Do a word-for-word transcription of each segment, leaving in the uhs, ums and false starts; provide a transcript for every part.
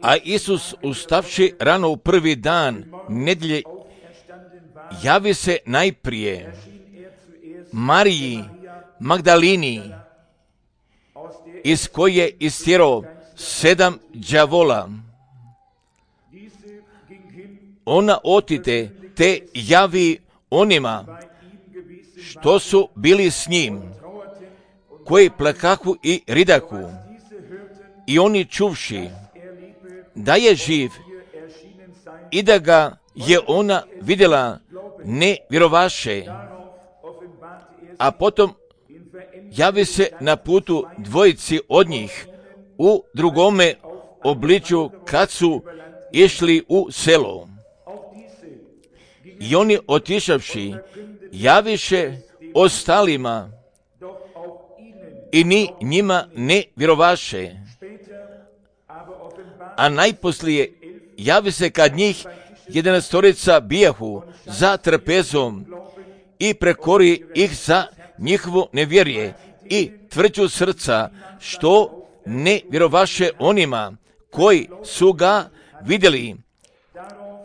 A Isus, ustavši rano u prvi dan nedjelje, javi se najprije Mariji Magdalini, iz koje istjerao sedam đavola. Ona otide te javi onima što su bili s njim, koji plakahu i ridahu. I oni čuvši da je živ i da ga je ona vidjela, ne vjerovaše. A potom javi se na putu dvojici od njih u drugome obličju kad su išli u selo. I oni otišavši javiše ostalima i ni njima ne vjerovaše. A najposlije javi se kad njih jedanaestorica bijahu za trpezom i prekori ih za njihovo nevjerje i tvrđu srca, što ne vjerovaše onima koji su ga vidjeli,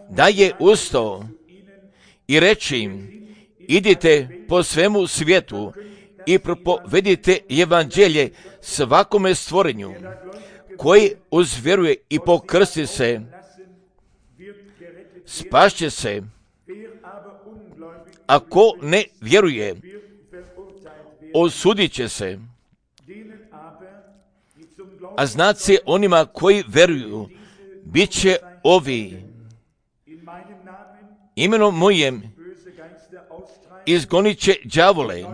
da je ustao i reče im: idite po svemu svijetu i propovedite evanđelje svakome stvorenju. Koji uzvjeruje i pokrsti se, spašće se, a ko ne vjeruje, osudit će se. A znaci onima koji vjeruju, bit će ovi: imenom mojem izgonit će đavole,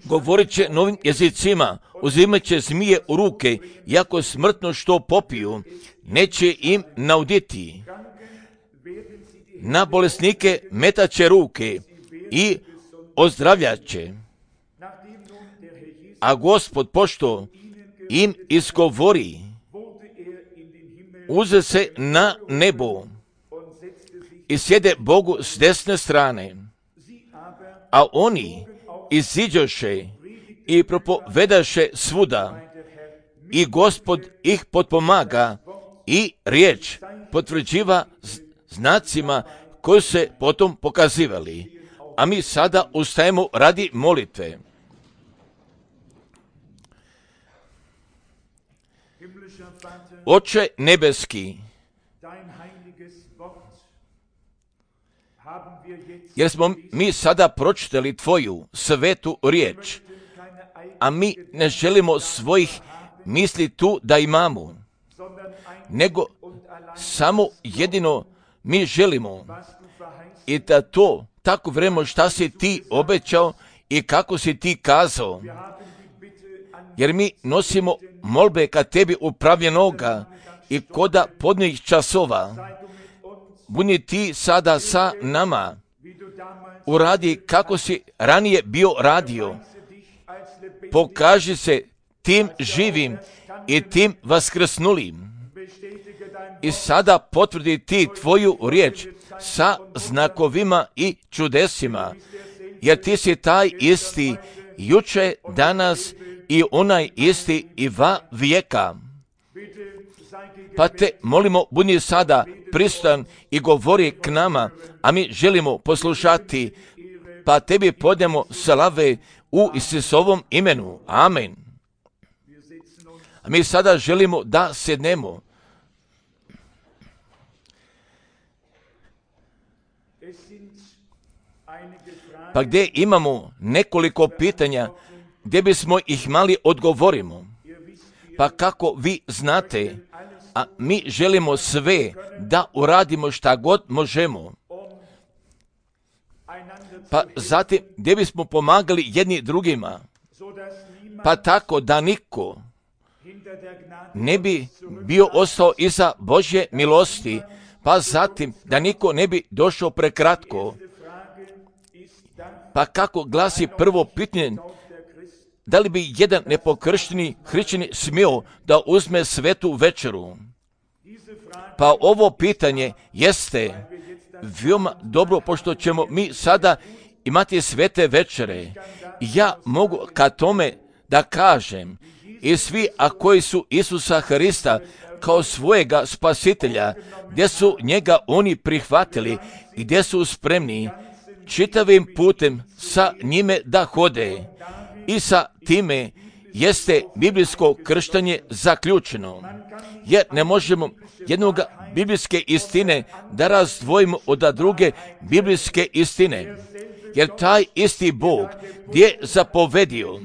govorit će novim jezicima, uzimat će zmije u ruke, iako smrtno što popiju, neće im nauditi. Na bolesnike metat će ruke i ozdravljat će. A Gospod, pošto im izgovori, uze se na nebo i sjede Bogu s desne strane. A oni iziđoše i propovedaše svuda, i Gospod ih potpomaga i riječ potvrđiva znacima koji se potom pokazivali. A mi sada ustajemo radi molitve. Oče nebeski, jer smo mi sada pročitali Tvoju svetu riječ, a mi ne želimo svojih misli tu da imamo, nego samo jedino mi želimo i da to tako vremo šta si Ti obećao i kako si Ti kazao. Jer mi nosimo molbe ka Tebi upravljenoga i koda podnijih časova. Budi Ti sada sa nama, uradi kako si ranije bio radio. Pokaži se tim živim i tim vaskrsnulim. I sada potvrdi Ti Tvoju riječ sa znakovima i čudesima, jer Ti si taj isti juče, danas i onaj isti i va vijeka. Pa Te molimo, budi sada prisutan i govori k nama, a mi želimo poslušati, pa Tebi podajemo slave u Isusovom imenu. Amen. A mi sada želimo da sednemo. Pa gdje imamo nekoliko pitanja, gdje bismo ih mali odgovorimo. Pa kako vi znate, a mi želimo sve da uradimo šta god možemo. Pa zatim gdje bismo pomagali jedni drugima, pa tako da niko ne bi bio ostao iza Božje milosti, pa zatim da niko ne bi došao prekratko. Pa kako glasi prvo pitanje, da li bi jedan nepokršteni hrišćanin smio da uzme svetu večeru? Pa ovo pitanje jeste veoma dobro, pošto ćemo mi sada imati svete večere. Ja mogu ka tome da kažem, i svi a koji su Isusa Hrista kao svojega spasitelja, gdje su njega oni prihvatili i gdje su spremni čitavim putem sa njime da hode. I sa time jeste biblijsko krštenje zaključeno, jer ne možemo jednog biblijske istine da razdvojimo od druge biblijske istine, jer taj isti Bog gdje zapovedio,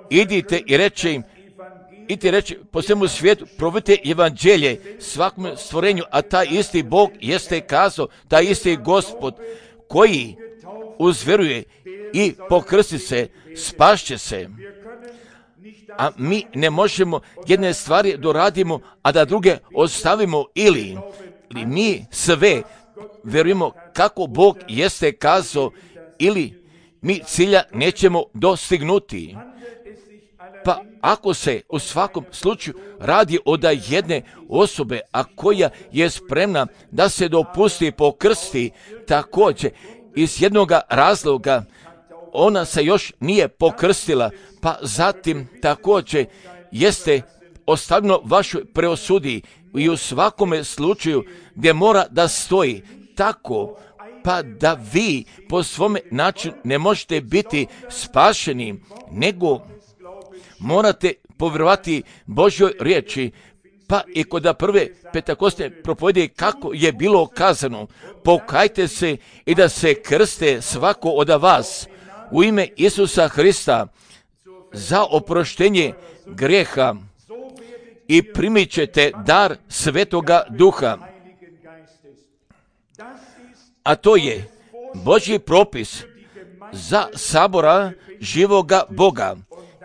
idite i reče im, idite reći po svemu svijetu, provodite evanđelje svakom stvorenju, a taj isti Bog jeste kazao, taj isti Gospod koji uzveruje i pokrsti se, spašće se. A mi ne možemo jedne stvari doradimo, a da druge ostavimo, ili, ili mi sve verujemo kako Bog jeste kazao, ili mi cilja nećemo dostignuti. Pa ako se u svakom slučaju radi od jedne osobe, a koja je spremna da se dopusti pokrsti, također iz jednog razloga ona se još nije pokrstila, pa zatim također jeste ostavljeno vašoj preosudi i u svakome slučaju gdje mora da stoji tako, pa da vi po svome načinu ne možete biti spašeni, nego morate povjerovati Božjoj riječi. Pa i kod prve Pentakostne propovjedi kako je bilo kazano, pokajte se i da se krste svako od vas u ime Isusa Hrista za oproštenje grijeha i primit ćete dar Svetoga Duha. A to je Božji propis za sabora živoga Boga.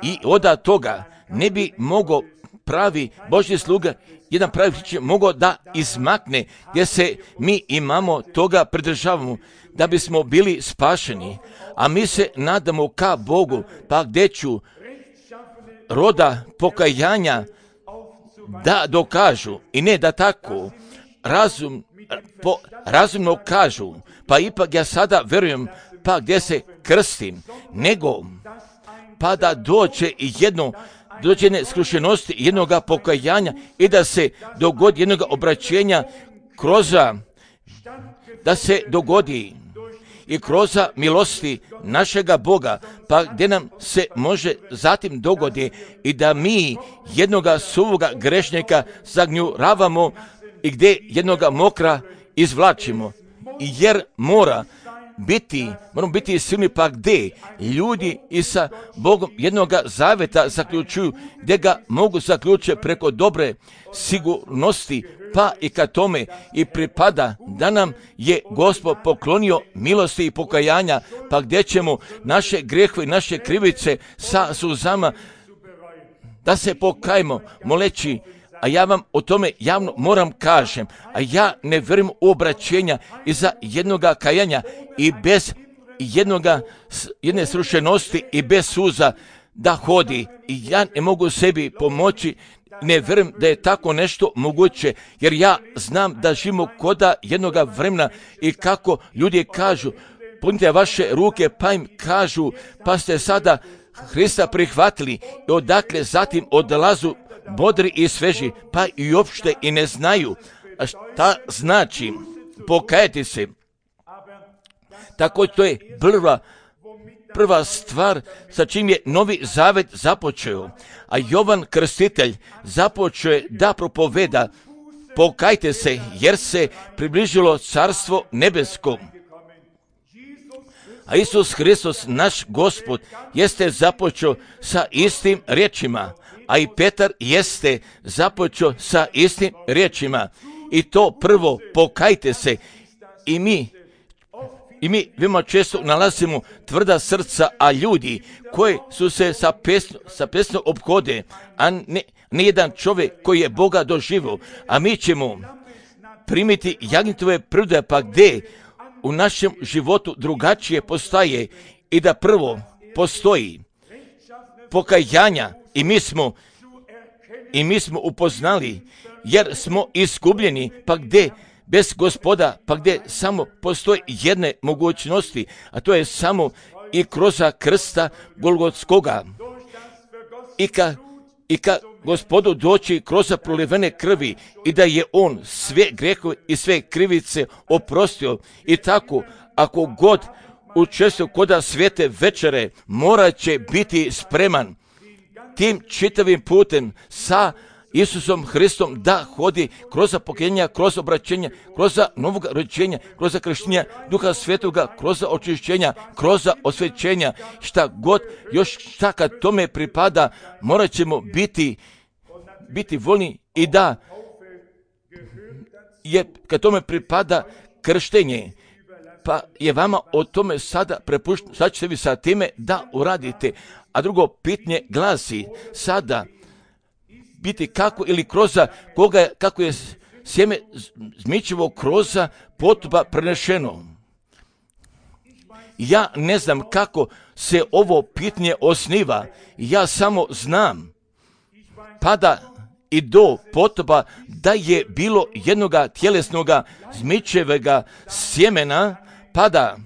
I od toga ne bi mogao pravi Božji sluga, jedan pravi će mogao da izmakne, gdje se mi imamo toga pridržavamo, da bismo bili spašeni. A mi se nadamo ka Bogu, pa gdje ću roda pokajanja da dokažu, i ne da tako razum, po, razumno kažu, pa ipak ja sada verujem, pa gdje se krstim, nego pa da dođe i jedno dođe jedne skrušenosti, jednoga pokajanja i da se dogodi jednoga obraćenja kroz, da se dogodi i kroz milosti našega Boga, pa gdje nam se može zatim dogodi i da mi jednoga suvoga grešnika zagnjuravamo i gdje jednoga mokra izvlačimo. Jer mora biti, moramo biti silni, pa gdje ljudi i sa Bogom jednoga zaveta zaključuju, gdje ga mogu zaključiti preko dobre sigurnosti, pa i ka tome i pripada da nam je Gospod poklonio milosti i pokajanja, pa gdje ćemo naše grijehe i naše krivice sa suzama da se pokajemo, moleći. A ja vam o tome javno moram kažem, a ja ne vjerujem u obraćenja iza jednoga kajanja i bez jednoga, jedne srušenosti i bez suza da hodi. I ja ne mogu sebi pomoći, ne vjerujem da je tako nešto moguće, jer ja znam da živimo koda jednoga vremena i kako ljudi kažu, punite vaše ruke, pa im kažu, pa ste sada Hrista prihvatili i odakle zatim odlazu bodri i sveži, pa i uopšte i ne znaju šta znači pokajati se. Tako to je prva, prva stvar sa čim je Novi Zavet započeo. A Jovan Krstitelj započeo je da propoveda pokajte se jer se približilo Carstvo nebesko. A Isus Hristos, naš Gospod, jeste započeo sa istim riječima, a i Petar jeste započeo sa istim riječima. I to prvo, pokajte se. I mi, i mi veoma često nalazimo tvrda srca, a ljudi koji su se sa pesno, sa pesno obhode, a ne, ne jedan čovjek koji je Boga doživio, a mi ćemo primiti jagnjetove prde, pa gdje u našem životu drugačije postaje i da prvo postoji pokajanja i mi smo i mi smo upoznali jer smo izgubljeni, pa gdje bez Gospoda, pa gdje samo postoji jedne mogućnosti, a to je samo i kroz krsta Golgotskoga. i ka, i ka Gospodu doći kroz prolivene krvi i da je on sve grehove i sve krivice oprostio. I tako, ako god učestvuje kod svete večere, morat će biti spreman tim čitavim putem sa Isusom Hristom da hodi kroz pokajenja, kroz obraćenja, kroz novog rođenja, kroz krštenja Duha Svetoga, kroz očišćenja, kroz osvećenja, šta god još šta kad tome pripada, morat ćemo biti, biti voljni i da je kad tome pripada krštenje, pa je vama o tome sada prepušteno, sad ćete vi sa time da uradite. A drugo pitanje glasi sada, biti kako ili kroz koga, kako je sjeme zmičevo kroz potupa prenešeno. Ja ne znam kako se ovo pitanje osniva, ja samo znam pada i do potupa da je bilo jednoga tjelesnoga zmičevega sjemena, pada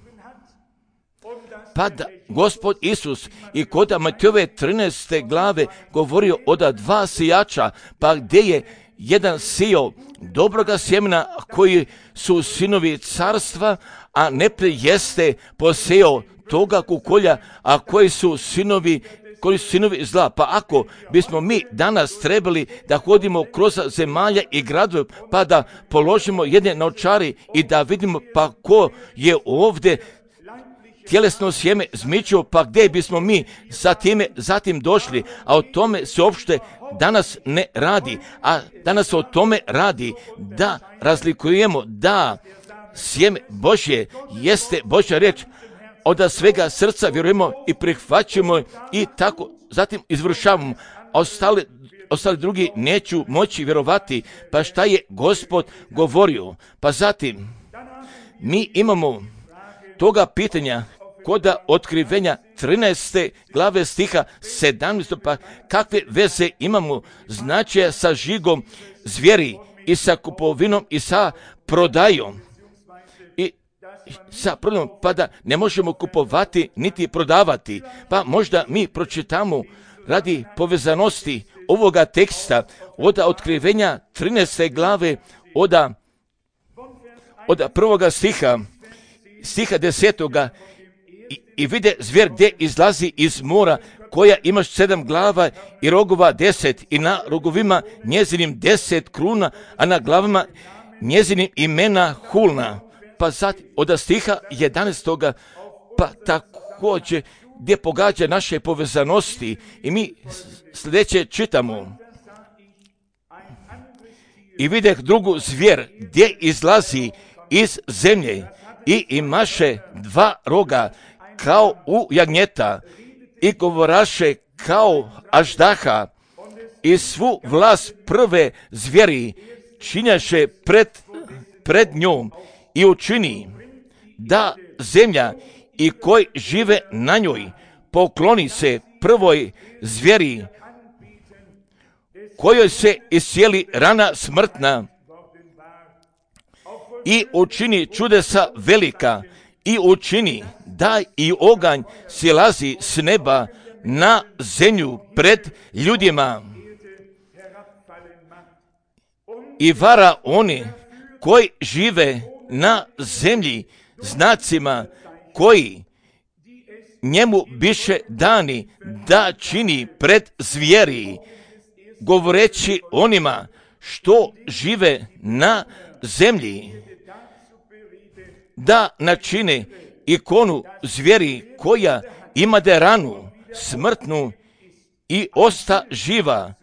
pada Gospod Isus i kod Matejove trinaeste glave govorio o da dva sijača, pa gdje je jedan sio dobroga sjemena koji su sinovi carstva, a neprijatelj jeste poseo toga kukolja, a koji su sinovi koji su sinovi zla. Pa ako bismo mi danas trebali da hodimo kroz zemalja i gradove, pa da položimo jedne novčari i da vidimo pa ko je ovdje tjelesno sjeme zmičio, pa gdje bismo mi sa time zatim došli, a o tome se uopšte danas ne radi, a danas o tome radi da razlikujemo da sjeme Božje jeste Božja riječ, od svega srca vjerujemo i prihvaćamo i tako zatim izvršavamo, a ostali, ostali drugi neću moći vjerovati, pa šta je Gospod govorio. Pa zatim mi imamo toga pitanja kod otkrivenja trinaeste glave stiha sedamnaestog, pa kakve veze imamo značaja sa žigom zvijeri i sa kupovinom i sa prodajom. I sa prodajom, pa da ne možemo kupovati niti prodavati. Pa možda mi pročitamo radi povezanosti ovoga teksta od otkrivenja trinaeste glave od, od prvoga stiha, stiha desetoga, I, i vide zvijer gdje izlazi iz mora, koja ima sedam glava i rogova deset, i na rogovima njezinim deset kruna, a na glavama njezinim imena hulna. Pa sad od stiha jedanaestoga, pa također gdje pogađa naše povezanosti, i mi sljedeće čitamo. I videh drugu zvijer gdje izlazi iz zemlje i imaše dva roga kao u jagnjeta i govoraše kao aždaha, i svu vlast prve zvijeri činjaše pred, pred njom i učini da zemlja i koji žive na njoj pokloni se prvoj zvijeri, kojoj se iscijeli rana smrtna, i učini čudesa velika, i učini da i oganj silazi s neba na zemlju pred ljudima, i vara oni koji žive na zemlji znacima koji njemu biše dani da čini pred zvijeri, govoreći onima što žive na zemlji, da načine ikonu zvijeri koja imade ranu smrtnu i osta živa,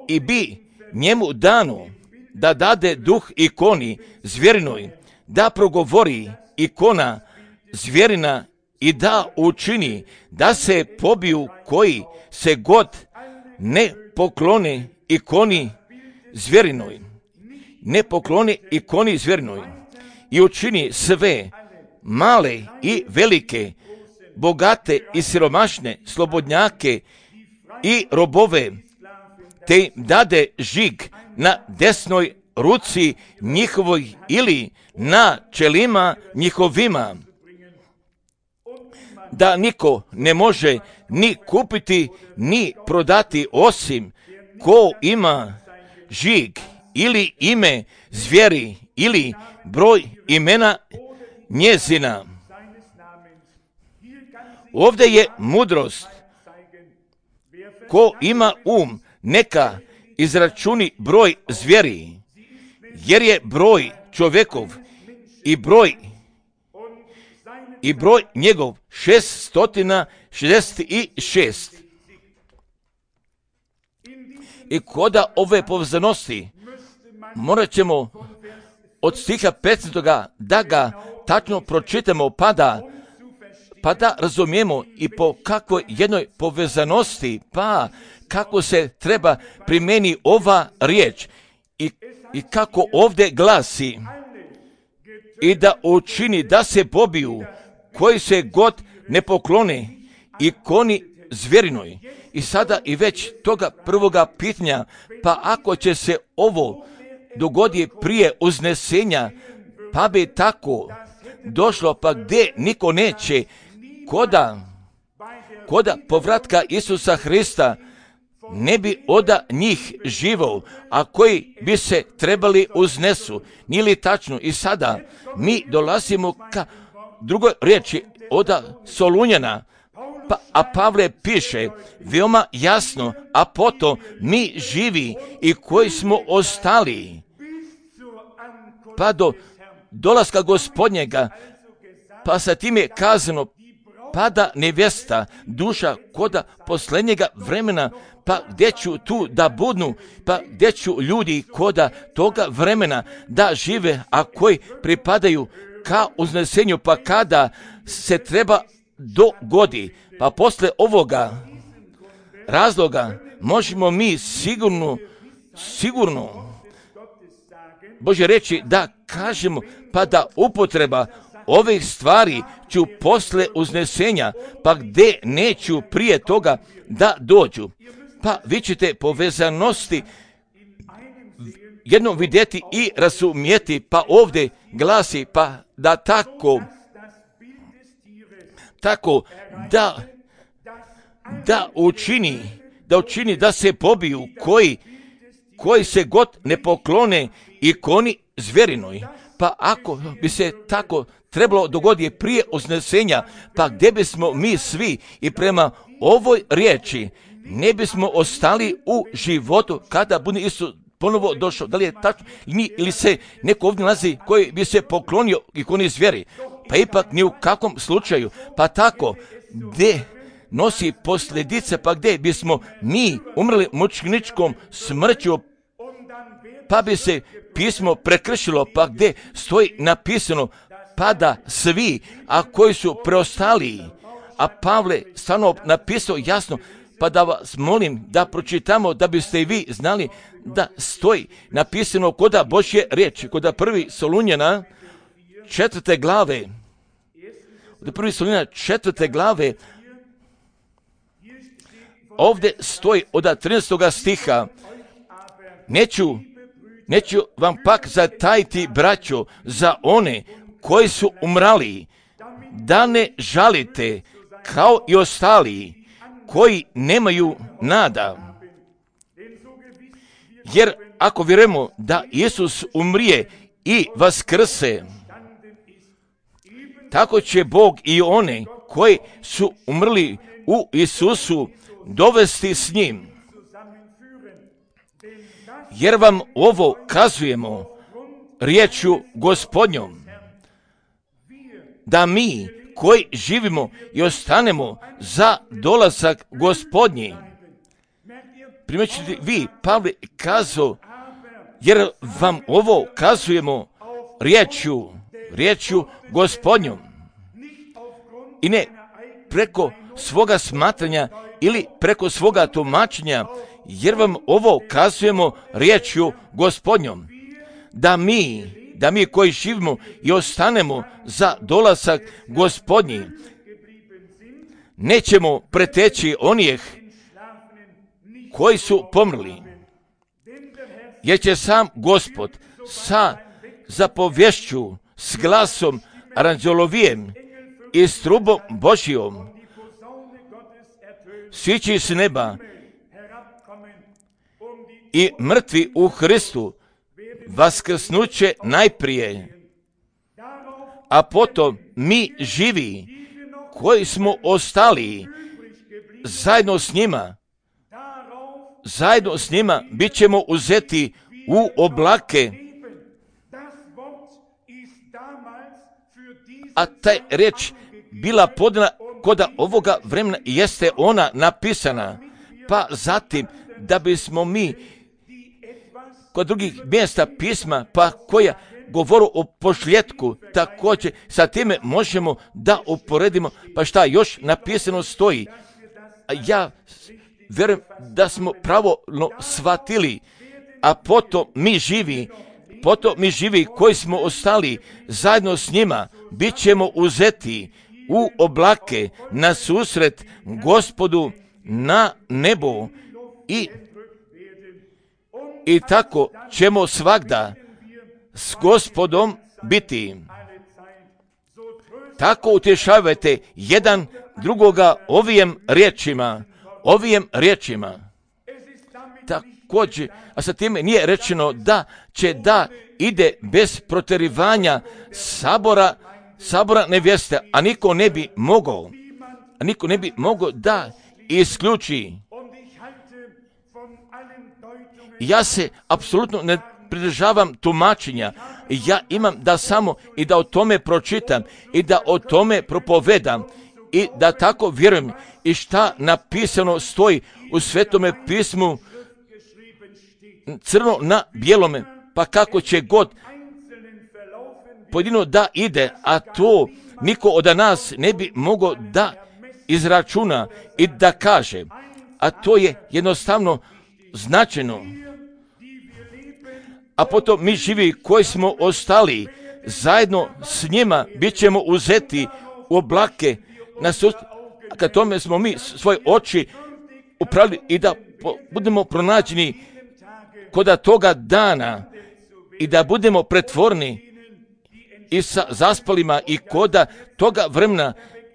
i bi njemu dano da dade duh ikoni zvjerinoj, da progovori ikona zvjerina i da učini da se pobiju koji se god ne poklone ikoni zvjerinoj, ne pokloni ikoni zvjerinoj, i učini sve male i velike, bogate i siromašne, slobodnjake i robove, te im dade žig na desnoj ruci njihovoj ili na čelima njihovima, da niko ne može ni kupiti, ni prodati, osim ko ima žig ili ime zvijeri ili broj imena njezina. Ovdje je mudrost. Ko ima um, neka izračuni broj zvijeri, jer je broj čovjekov i broj i broj njegov šeststotina šezdeset šest. I koda ove povezanosti morat ćemo od stiha petnaestog da ga tačno pročitamo, pa da, pa da razumijemo i po kakvoj jednoj povezanosti, pa kako se treba primjeni ova riječ i, i kako ovdje glasi: i da učini da se pobiju koji se god ne poklone ikoni zvjerinoj. I sada i već toga prvoga pitanja, pa ako će se ovo dogodi prije uznesenja, pa bi tako došlo, pa gdje niko neće koda, koda povratka Isusa Hrista ne bi oda njih živo, a koji bi se trebali uznesu. Nije li tačno? I sada mi dolazimo ka drugoj riječi oda Solunjana, pa, a Pavle piše veoma jasno: a potom mi živi i koji smo ostali pa do dolaska Gospodnjega, pa sa tim je kazano: pada nevjesta, duša koda posljednjega vremena, pa gdje ću tu da budnu, pa gdje ću ljudi koda toga vremena da žive, a koji pripadaju ka uznesenju, pa kada se treba dogodi. Pa posle ovoga razloga možemo mi sigurno, sigurno Bože reći da kažemo, pa da upotreba ovih stvari ću posle uznesenja, pa gdje neću prije toga da dođu. Pa vi ćete povezanosti jednom vidjeti i razumijeti, pa ovdje glasi, pa da tako, tako da, da učini, da učini da se pobiju koji, koji se god ne poklone ikoni zvjerinoj. Pa ako bi se tako trebalo dogoditi prije uznesenja, pa gdje bismo mi svi i prema ovoj riječi ne bismo ostali u životu kada bude Isus ponovo došao? Da li je tačno ili se neko ovdje nalazi koji bi se poklonio ikoni zvjeri? Pa ipak ni u kakvom slučaju. Pa tako gdje nosi posljedice, pa gdje bismo mi umrli mučeničkom smrću, pa bi se pismo prekršilo, pa gdje stoji napisano: pa da svi, a koji su preostali, a Pavle stvarno napisao jasno, pa da vas molim da pročitamo, da biste i vi znali da stoji napisano koda Božje riječi, koda prvi Solunjana četvrte glave, koda prvi Solunjana četvrte glave, ovdje stoji od trinaestog stiha: neću, neću vam pak zatajiti, braćo, za one koji su umrali, da ne žalite kao i ostali koji nemaju nada. Jer ako vjerujemo da Isus umrije i vaskrse, tako će Bog i one koji su umrli u Isusu dovesti s njim. Jer vam ovo kazujemo riječju Gospodnjom, da mi koji živimo i ostanemo za dolazak Gospodnji. Primjećujete vi, Pavle kazao: jer vam ovo kazujemo riječju, riječju Gospodnjom. I ne preko svoga smatranja ili preko svoga tumačenja, jer vam ovo kazujemo riječju Gospodnjom, da mi, da mi koji živimo i ostanemo za dolazak Gospodnji, nećemo preteći onih koji su pomrli, jer će sam Gospod sa zapovješću, s glasom aranđelovijem i s trubom Božijom sići s neba i mrtvi u Hristu vaskrsnuće najprije, a potom mi živi koji smo ostali zajedno s njima, zajedno s njima bit ćemo uzeti u oblake. A taj riječ bila podana kod ovoga vremena i jeste ona napisana, pa zatim da bismo mi kod drugih mjesta pisma, pa koja govoru o pošljetku, također sa time možemo da uporedimo, pa šta još napisano stoji. Ja vjerujem da smo pravilno shvatili, a potom mi živi, potom mi živi koji smo ostali zajedno s njima, bit ćemo uzeti u oblake na susret Gospodu na nebu i, i tako ćemo svagda s Gospodom biti. Tako utješavajte jedan drugoga ovim riječima, ovim riječima. Također, a sa time nije rečeno da će da ide bez protjerivanja sabora, sabora nevjeste, a niko ne bi mogao, a niko ne bi mogao da isključi. Ja se apsolutno ne pridržavam tumačenja. Ja imam da samo i da o tome pročitam i da o tome propovedam i da tako vjerujem i šta napisano stoji u Svetome pismu crno na bijelome, pa kako će god pojedino da ide, a to niko od nas ne bi mogao da izračuna i da kaže, a to je jednostavno značajno. A potom mi živi koji smo ostali zajedno s njima bit ćemo uzeti u oblake na sud, a kad tome smo mi svoje oči upravili i da budemo pronađeni kod toga dana i da budemo pretvorni i sa zaspalima i koda toga vremena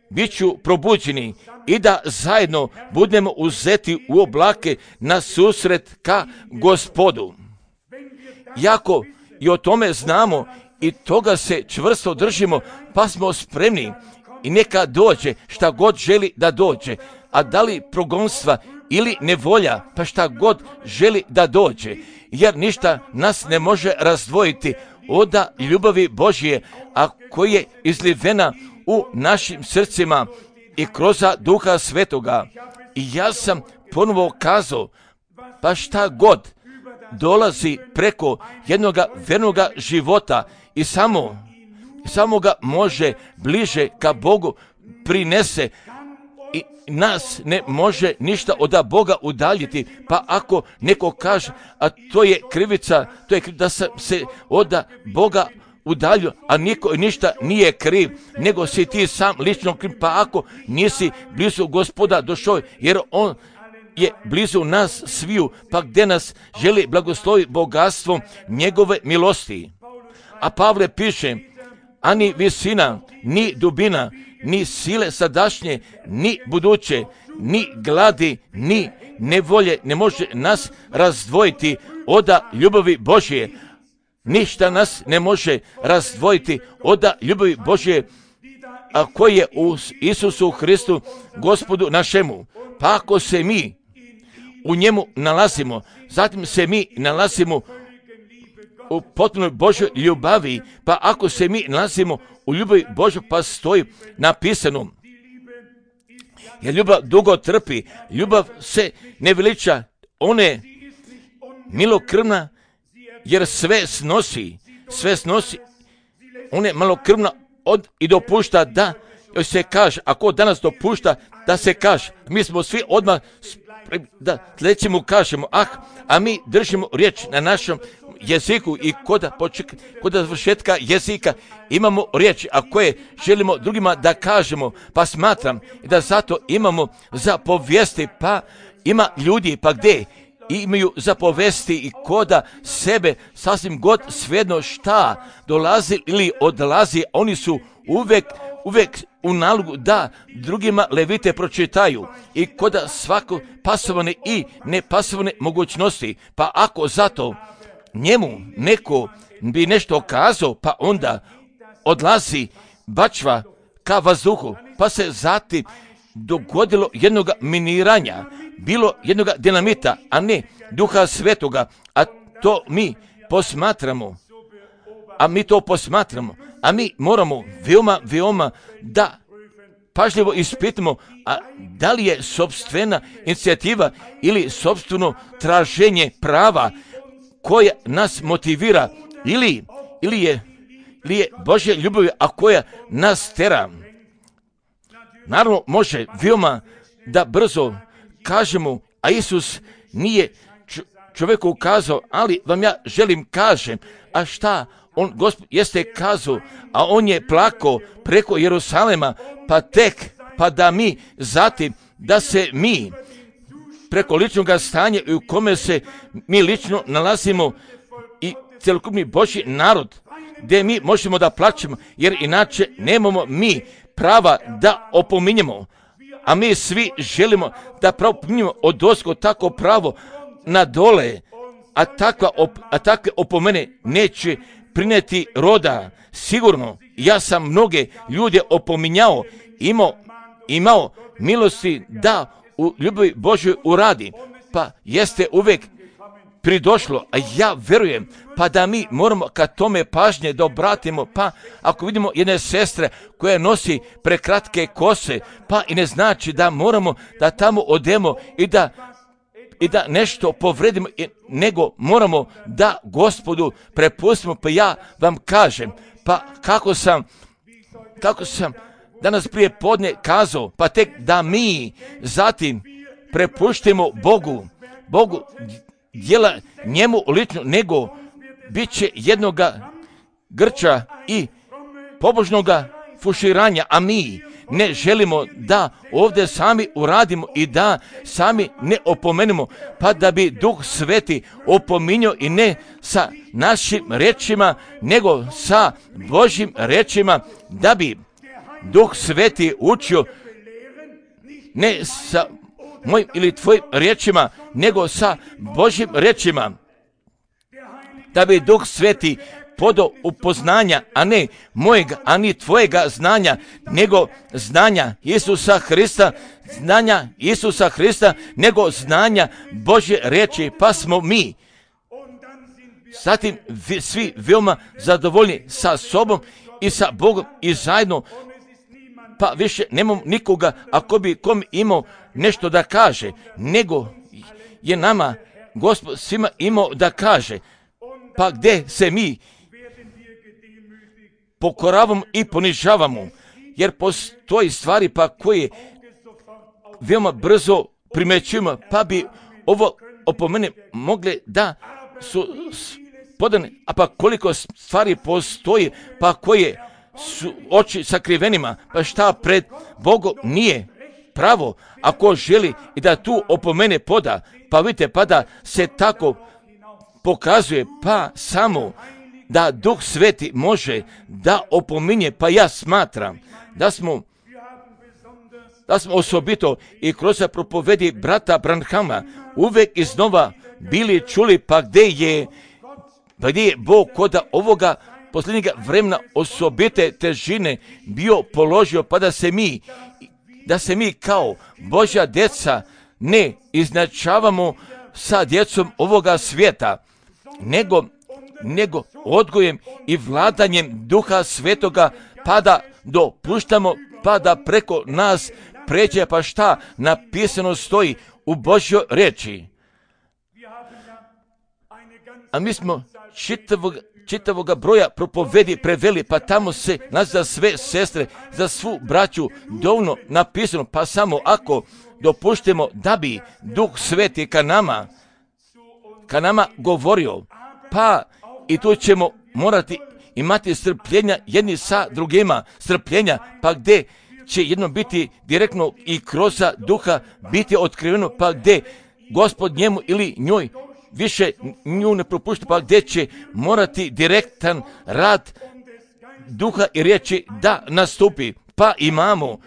bit ću probuđeni i da zajedno budemo uzeti u oblake na susret ka Gospodu. Jako i o tome znamo i toga se čvrsto držimo, pa smo spremni i neka dođe šta god želi da dođe, a da li progonstva ili nevolja, pa šta god želi da dođe, jer ništa nas ne može razdvojiti od ljubavi Božje, a koja je izlivena u našim srcima i kroz Duha Svetoga. I ja sam ponovo kazao, pa šta god dolazi preko jednoga vernoga života i samo, samo ga može bliže ka Bogu prinese i nas ne može ništa od Boga udaljiti. Pa ako neko kaže, a to je krivica, to je krivica da sam se od Boga udaljio, a niko ništa nije kriv, nego si ti sam lično kriv, pa ako nisi blizu Gospoda došao, jer on je blizu nas sviju, pa gdje nas želi blagosloviti bogatstvom njegove milosti. A Pavle piše, a ni visina, ni dubina, ni sile sadašnje, ni buduće, ni gladi, ni nevolje ne može nas razdvojiti od ljubavi Božje. Ništa nas ne može razdvojiti od ljubavi Božje, a koji je u Isusu Hristu, Gospodu našemu. Pa ako se mi u njemu nalazimo, zatim se mi nalazimo u potpunoj Božoj ljubavi, pa ako se mi nalazimo u ljubavi Božoj, pa stoji napisano, jer ljubav dugo trpi, ljubav se ne veliča, ona je milokrvna, jer sve snosi, sve snosi, ona je malokrvna od i dopušta da joj se kaže, ako danas dopušta da se kaže, mi smo svi odmah da sljedeći mu kažemo, ah, a mi držimo riječ na našem jeziku i kod, kod završetka jezika imamo riječ, a koje želimo drugima da kažemo, pa smatram da zato imamo za povijesti, pa ima ljudi, pa gdje imaju za povesti i koda sebe sasvim god svejedno šta dolazi ili odlazi, oni su uvek, uvek u nalogu da drugima levite pročitaju i koda svako pasovane i nepasovane mogućnosti. Pa ako zato njemu neko bi nešto kazao, pa onda odlazi bačva ka vazduhu, pa se zatim dogodilo jednoga miniranja, bilo jednoga dinamita, a ne Duha Svetoga, a to mi posmatramo, a mi to posmatramo, a mi moramo veoma, veoma da pažljivo ispitamo, a da li je sopstvena inicijativa ili sopstveno traženje prava koja nas motivira, ili, ili, je, ili je Božja ljubav, a koja nas tera. Naravno, može veoma da brzo kažemo, a Isus nije čovjeku kazao, ali vam ja želim kažem, a šta on, Gospod, jeste kazao, a on je plakao preko Jerusalema, pa tek, pa da mi zatim, da se mi preko ličnog stanja u kome se mi lično nalazimo i cjelokupni Božji narod, gdje mi možemo da plaćemo, jer inače nemamo mi prava da opominjemo, a mi svi želimo da pravo opominjemo od ozgo tako pravo na dole, a, takva op, a takve opomene neće prineti roda. Sigurno, ja sam mnoge ljude opominjao, imao, imao milosti da u ljubavi Božoj uradi, pa jeste uvek pridošlo, a ja verujem, pa da mi moramo ka tome pažnje da obratimo, pa ako vidimo jedne sestre koja nosi prekratke kose, pa i ne znači da moramo da tamo odemo i da i da nešto povredimo, nego moramo da Gospodu prepustimo, pa ja vam kažem, pa kako sam, kako sam danas prije podne kazao, pa tek da mi zatim prepuštimo Bogu, Bogu djela njemu lično, nego bit će jednoga grča i pobožnoga fuširanja, a mi ne želimo da ovdje sami uradimo i da sami ne opomenemo, pa da bi Duh Sveti opominjao i ne sa našim rečima, nego sa Božjim rečima, da bi Duh Sveti učio ne sa mojim ili tvojim rečima, nego sa Božjim rečima, da bi Duh Sveti podao upoznanja, a ne mojega, a ni tvojega znanja, nego znanja Isusa Hrista, znanja Isusa Hrista, nego znanja Božje reči, pa smo mi zatim vi, svi veoma zadovoljni sa sobom i sa Bogom i zajedno, pa više nemamo nikoga ako bi kom imao nešto da kaže, nego je nama Gospod svima imao da kaže, pa gdje se mi pokoravamo i ponižavamo, jer postoji stvari pa koje veoma brzo primećujemo, pa bi ovo opomene mogle da su podane, a pa koliko stvari postoji pa koje su oči sakrivenima, pa šta pred Bogom nije pravo, ako želi i da tu opomene poda, pa vidite, pa da se tako pokazuje, pa samo da Duh Sveti može da opominje, pa ja smatram da smo da smo osobito i kroz propovedi brata Branhama uvek iznova bili čuli, pa gdje je, pa gdje je Bog koda ovoga posljednjega vremena osobite težine bio položio, pa da se mi, da se mi kao Božja djeca ne iznačavamo sa djecom ovoga svijeta, nego, nego odgojem i vladanjem Duha Svetoga, pa da dopuštamo, pa da preko nas pređe, pa šta napisano stoji u Božjoj reči. A mi smo čitavog, čitavoga broja propovedi preveli, pa tamo se nas za sve sestre, za svu braću dovoljno napisano, pa samo ako dopuštimo da bi Duh Sveti ka nama, ka nama govorio, pa i tu ćemo morati imati strpljenja jedni sa drugima, strpljenja, pa gdje će jedno biti direktno i kroz Duha biti otkriveno, pa gdje Gospod njemu ili njoj više nju ne propušta, pa gdje će morati direktan rad duha i riječi da nastupi. Pa imamo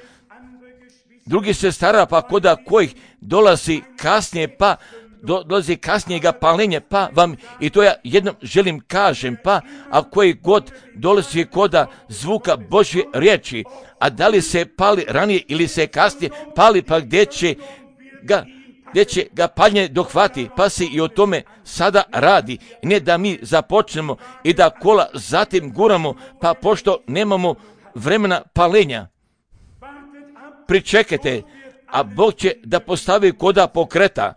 drugi sestara, pa koda kojih dolazi kasnije, pa do, dolazi kasnijega palenja, pa vam i to ja jednom želim kažem, pa a koji god dolazi koda zvuka Božje riječi, a da li se pali ranije ili se kasnije pali, pa gdje će ga gdje će ga paljenje dohvati, pa se i o tome sada radi. Ne da mi započnemo i da kola zatim guramo, pa pošto nemamo vremena palenja. Pričekajte, a Bog će da postavi koda pokreta.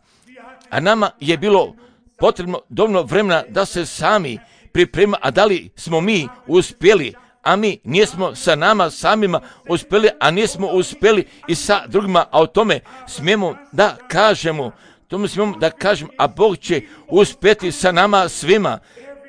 A nama je bilo potrebno dovoljno vremena da se sami priprema, a da li smo mi uspjeli, a mi nismo sa nama samima uspjeli, a nismo uspjeli i sa drugima, a o tome smijemo da kažemo, tome smijemo da kažemo, a Bog će uspjeti sa nama svima,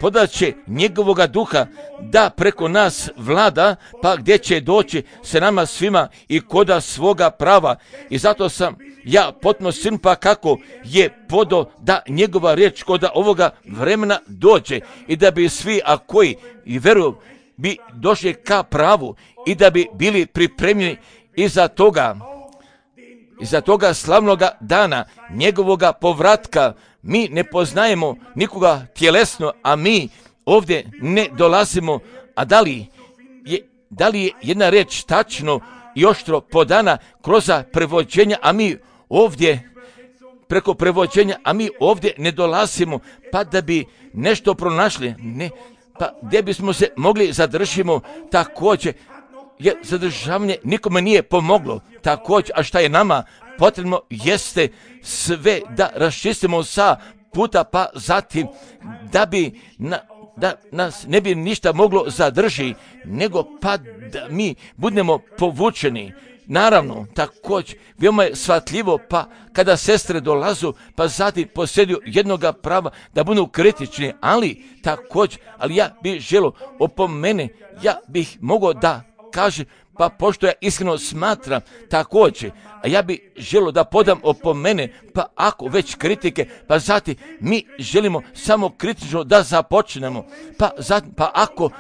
podaće njegovoga duha da preko nas vlada, pa gdje će doći sa nama svima i koda svoga prava. I zato sam ja potpuno sin, pa kako je podo da njegova riječ koda ovoga vremena dođe i da bi svi, a koji i veruju, bi došli ka pravu i da bi bili pripremljeni iza toga, iza toga slavnoga dana, njegovoga povratka. Mi ne poznajemo nikoga tjelesno, a mi ovdje ne dolazimo, a da li je, da li je jedna reč tačno i oštro podana kroz prevođenja, a mi ovdje preko prevođenja, a mi ovdje ne dolazimo, pa da bi nešto pronašli, ne, pa gdje bismo se mogli zadržimo također, jer zadržavanje nikome nije pomoglo također, a šta je nama potrebno jeste sve da raščistimo sa puta, pa zatim da bi na, da nas ne bi ništa moglo zadrži, nego pa da mi budemo povučeni. Naravno, također, veoma je shvatljivo, pa kada sestre dolazu, pa zatim posjeduju jednoga prava da budu kritični, ali također, ali ja bih želio opomene, ja bih mogao da kažem, pa pošto ja iskreno smatram također, a ja bih želio da podam opomene, pa ako već kritike, pa zatim mi želimo samo kritično da započnemo, pa zatim, pa ako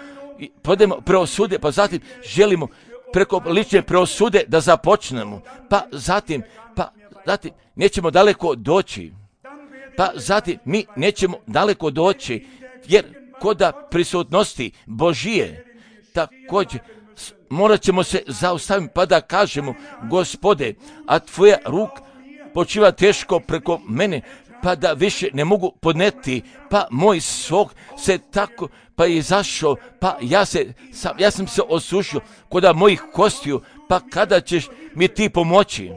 podemo preosude, pa zatim želimo preko lične preosude da započnemo, pa zatim, pa zatim nećemo daleko doći, pa zatim mi nećemo daleko doći, jer koda prisutnosti Božije, također, morat ćemo se zaustaviti pa da kažemo, Gospode, a tvoja ruk počiva teško preko mene, pa da više ne mogu podneti, pa moj sok se tako, pa je izašao, pa ja, se, sam, ja sam se osušio koda mojih kostiju, pa kada ćeš mi ti pomoći?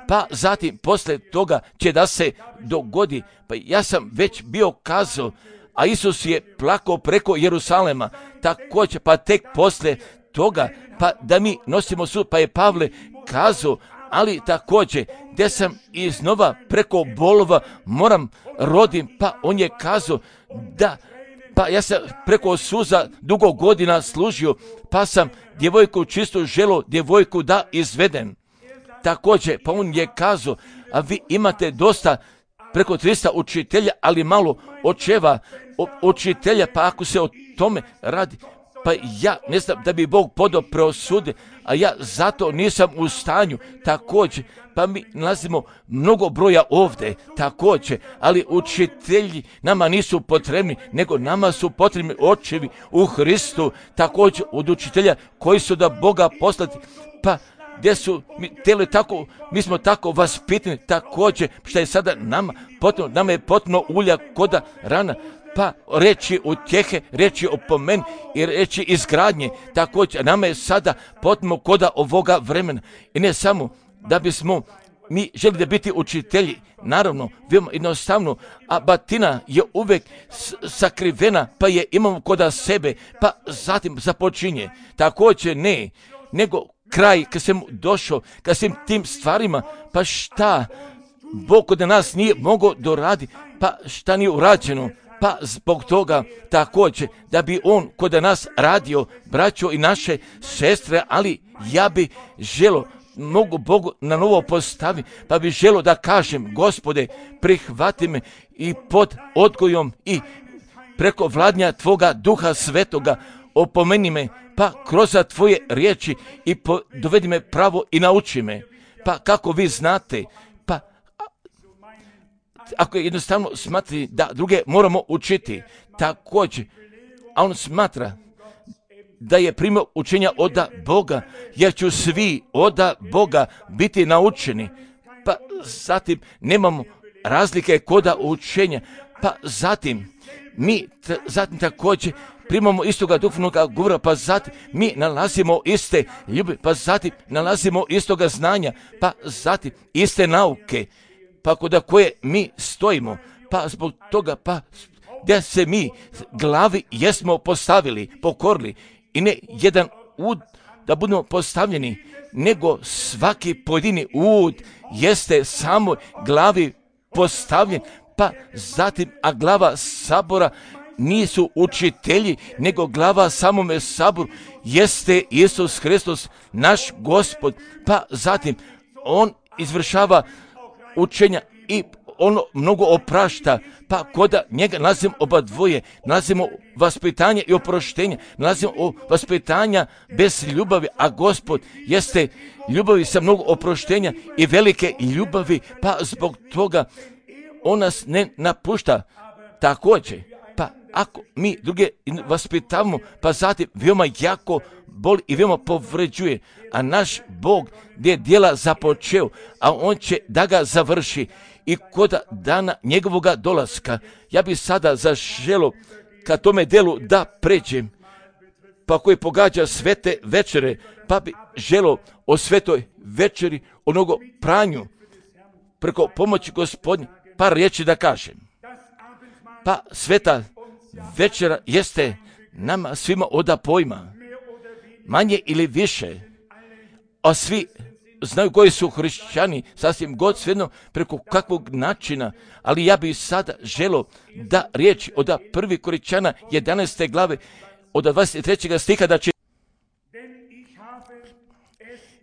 Pa zatim, posle toga će da se dogodi, pa ja sam već bio kazao, a Isus je plakao preko Jerusalema, također, pa tek posle toga, pa da mi nosimo sud, pa je Pavle kazao, ali također, gdje sam iznova preko bolova moram rodim, pa on je kazao da, pa ja sam preko suza dugo godina služio, pa sam djevojku čisto želio djevojku da izvedem. Također, pa on je kazao, a vi imate dosta preko trista učitelja, ali malo očeva učitelja, pa ako se o tome radi, pa ja ne znam da bi Bog podao preosude, a ja zato nisam u stanju također, pa mi nalazimo mnogo broja ovdje također, ali učitelji nama nisu potrebni, nego nama su potrebni očevi u Hristu, također od učitelja koji su da Boga poslati, pa gdje su mi tele tako, mi smo tako vaspitani također, što je sada nama potrebno, nama je potrebno ulja koda rana, pa reći utjehe, reći opomen i reći izgradnje, također nama je sada potrebno koda ovoga vremena. I ne samo da bismo mi želi da biti učitelji, naravno, veoma jednostavno, a batina je uvek sakrivena, pa je imamo koda sebe, pa zatim započinje. Također ne, nego kraj kad sam došao, kad sam tim stvarima, pa šta Bog kod nas nije mogao doraditi, pa šta nije urađeno, pa zbog toga također da bi on kod nas radio, braćo i naše sestre, ali ja bi želio, mogu Bogu na novo postavi, pa bi želio da kažem, Gospode, prihvati me i pod odgojom i preko vladnja Tvoga Duha Svetoga opomeni me, pa kroz tvoje riječi i po, dovedi me pravo i nauči me. Pa kako vi znate, pa ako je jednostavno smatri da druge moramo učiti, također, a on smatra da je primio učenja od Boga, jer ću svi od Boga biti naučeni. Pa zatim nemamo razlike koda učenja, pa zatim mi t- zatim također primamo istoga duhovnog govora, pa zatim mi nalazimo iste ljubavi, pa zatim nalazimo istoga znanja, pa zatim iste nauke, pa kod koje mi stojimo, pa zbog toga, pa gdje se mi glavi jesmo postavili, pokorili, i ne jedan ud da budemo postavljeni, nego svaki pojedini ud jeste samo glavi postavljen, pa zatim, a glava sabora nisu učitelji, nego glava samome saboru jeste Isus Hristos, naš Gospod, pa zatim on izvršava učenja i ono mnogo oprašta, pa koda njega nalazimo oba dvoje, nalazimo vaspitanje i oproštenje, nalazimo vaspitanja bez ljubavi, a Gospod jeste ljubavi sa mnogo oproštenja i velike ljubavi, pa zbog toga on nas ne napušta. Također, pa ako mi druge vaspitavamo, pa zatim veoma jako boli i veoma povređuje, a naš Bog gdje je djela započeo, a on će da ga završi i kod dana njegovoga dolaska. Ja bi sada zaželo ka tome delu da pređem, pa koji pogađa svete večere, pa bi želo o svetoj večeri, o mnogo pranju, preko pomoći Gospodnje, par riječi da kažem. Pa sveta večera jeste nama svima oda pojma, manje ili više, a svi znaju koji su hrišćani, sasvim god svejedno preko kakvog načina, ali ja bih sada želo da riječ od prvi Korinćana jedanaeste glave, od dvadeset trećeg stiha da će,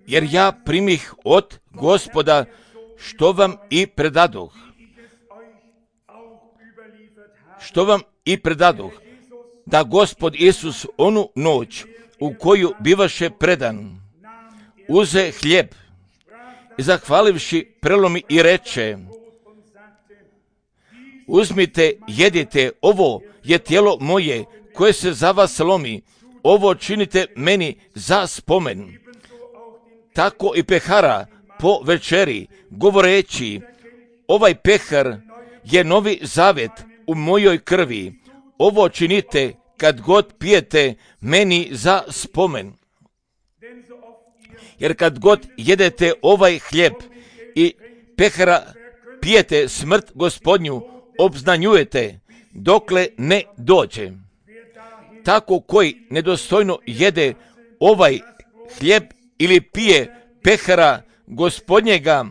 jer ja primih od Gospoda što vam i predadoh, što vam i predadoh, da Gospod Isus onu noć u koju bivaše predan, uze hljeb i zahvalivši prelomi i reče, uzmite, jedite, ovo je tijelo moje koje se za vas lomi, ovo činite meni za spomen. Tako i pehara po večeri, govoreći, ovaj pehar je novi zavet u mojoj krvi, ovo činite kad god pijete meni za spomen. Jer kad god jedete ovaj hljeb i pehara pijete smrt Gospodnju, obznanjujete dokle ne dođe. Tako koji nedostojno jede ovaj hljeb ili pije pehara Gospodnjega,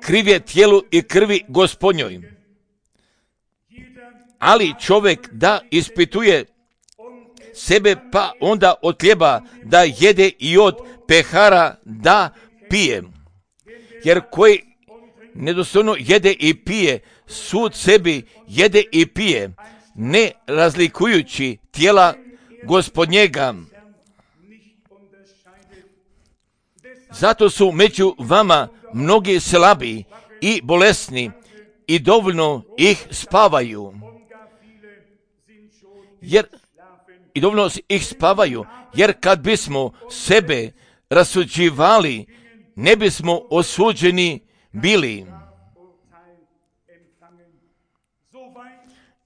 kriv je tijelu i krvi Gospodnjoj. Ali čovjek da ispituje sebe, pa onda od hljeba da jede i od pehara da pije. Jer koji nedostojno jede i pije, sud sebi jede i pije, ne razlikujući tijela Gospodnjega. Zato su među vama mnogi slabi i bolesni i dovoljno ih spavaju. Jer i dovoljno ih spavaju, jer kad bismo sebe rasuđivali, ne bismo osuđeni bili.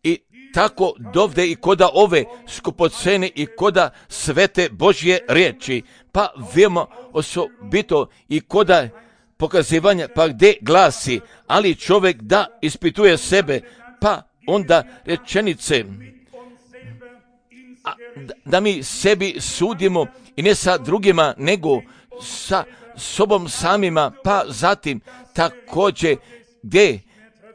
I tako dovde i koda ove skupocene i koda svete Božje riječi, pa veoma osobito i koda pokazivanja, pa gdje glasi, ali čovjek da ispituje sebe, pa onda rečenice, a, da, da mi sebi sudimo i ne sa drugima, nego sa sobom samima, pa zatim također gdje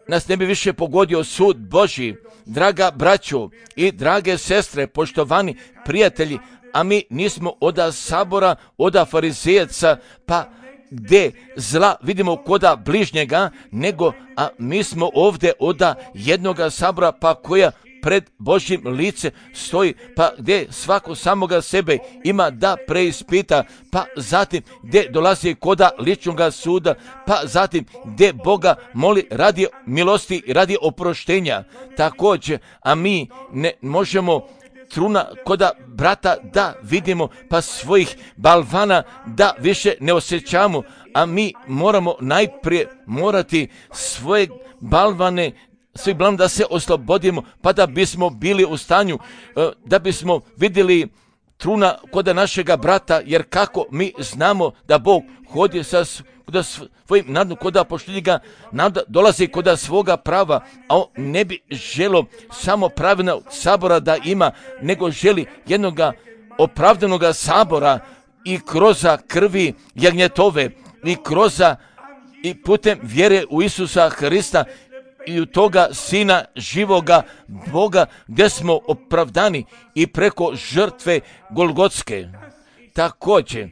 nas ne bi više pogodio sud Božji. Draga braćo i drage sestre, poštovani prijatelji, a mi nismo oda sabora, oda farizejaca, pa gdje zla vidimo koda bližnjega, nego a mi smo ovdje oda jednoga sabora, pa koja pred Božjim lice stoji, pa gdje svako samoga sebe ima da preispita, pa zatim gdje dolazi koda ličnoga suda, pa zatim gdje Boga moli radi milosti i radi oproštenja. Također, a mi ne možemo truna koda brata da vidimo, pa svojih balvana da više ne osjećamo, a mi moramo najprije morati svoje balvane svi balvan da se oslobodimo, pa da bismo bili u stanju, da bismo vidjeli truna koda našega brata, jer kako mi znamo da Bog hodi sa koda svojim nadom, koda poštilji ga, nada dolazi koda svoga prava, a on ne bi želo samo pravilnog sabora da ima, nego želi jednoga opravdanoga sabora i kroza krvi jagnjetove, i kroza i putem vjere u Isusa Hrista i u toga Sina živoga Boga, gdje smo opravdani i preko žrtve Golgotske. Također,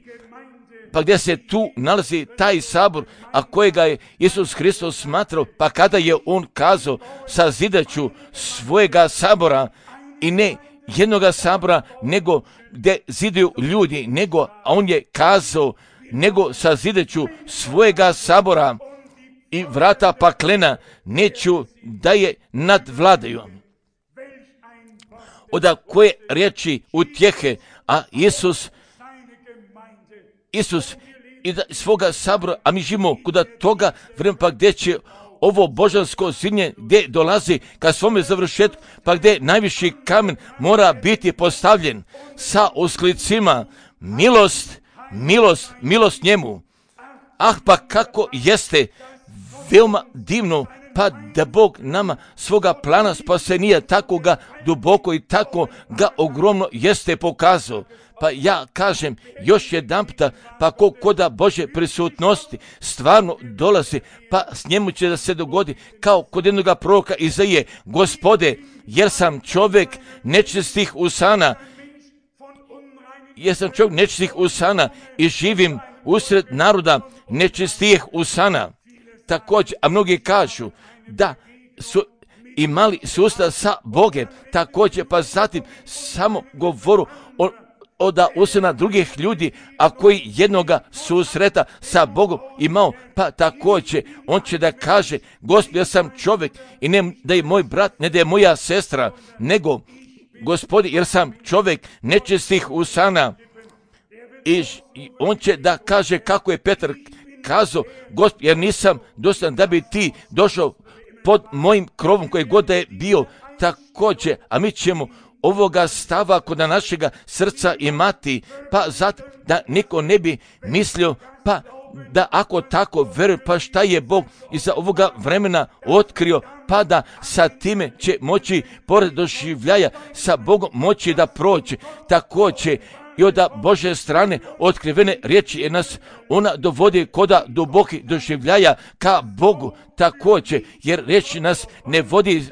pa gdje se tu nalazi taj sabor, a kojega je Isus Hristos smatrao, pa kada je on kazao sazidaću svojega sabora, i ne jednoga sabora, nego gdje zidaju ljudi, nego, a on je kazao, nego sazidaću svojega sabora i vrata paklena neću da je nadvladaju. Oda koje riječi utjehe, a Isus, Isus i da svoga sabora, a mi živimo kuda toga vremena, pa gdje će ovo božansko zidanje gdje dolazi ka svome završetku, pa gdje najviši kamen mora biti postavljen sa usklicima milost, milost, milost njemu. Ah, pa kako jeste veoma divno, pa da Bog nama svoga plana spasenija tako ga duboko i tako ga ogromno jeste pokazao. Pa ja kažem još jedan puta, pa ko koda Božje prisutnosti stvarno dolazi, pa s njemu će da se dogodi kao kod jednoga proroka Izaije: Gospode, jer sam čovjek nečistih usana, jer sam čovjek nečistih usana i živim usred naroda nečistijih usana. Također, a mnogi kažu da su imali susret sa Bogom, također, pa zatim samo govoru o od usana drugih ljudi, a koji jednoga susreta sa Bogom imao, pa također on će da kaže: Gospod, ja sam čovjek i ne da je moj brat, ne da je moja sestra, nego Gospodi, jer sam čovjek nečistih usana. I on će da kaže kako je Petar kazao: Gospod, jer nisam dostojan da bi ti došao pod mojim krovom koji god da je bio. Također, a mi ćemo ovoga stava kod našega srca imati, pa zato da niko ne bi mislio, pa da ako tako veruje, pa šta je Bog iza ovoga vremena otkrio, pa da sa time će moći, pored doživljaja sa Bogom, moći da prođe. Također i od Božje strane otkrivene riječi je nas, ona dovodi koda duboki doživljaja ka Bogu. Također, jer riječi nas ne vodi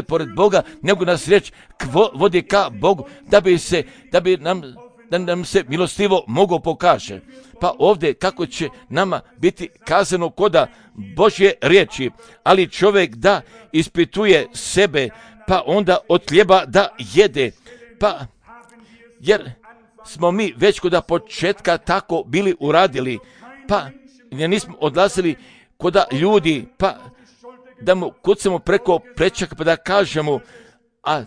pored Boga, nego nas riječ vodi ka Bogu, da bi se, da bi nam, da nam se milostivo mogo pokaže. Pa ovdje kako će nama biti kazano koda Božje riječi, ali čovjek da ispituje sebe, pa onda od hljeba da jede. Pa jer smo mi već koda početka tako bili uradili, pa nismo odlazili koda ljudi, pa da mu kucamo preko prečaka, pa da kažemo: a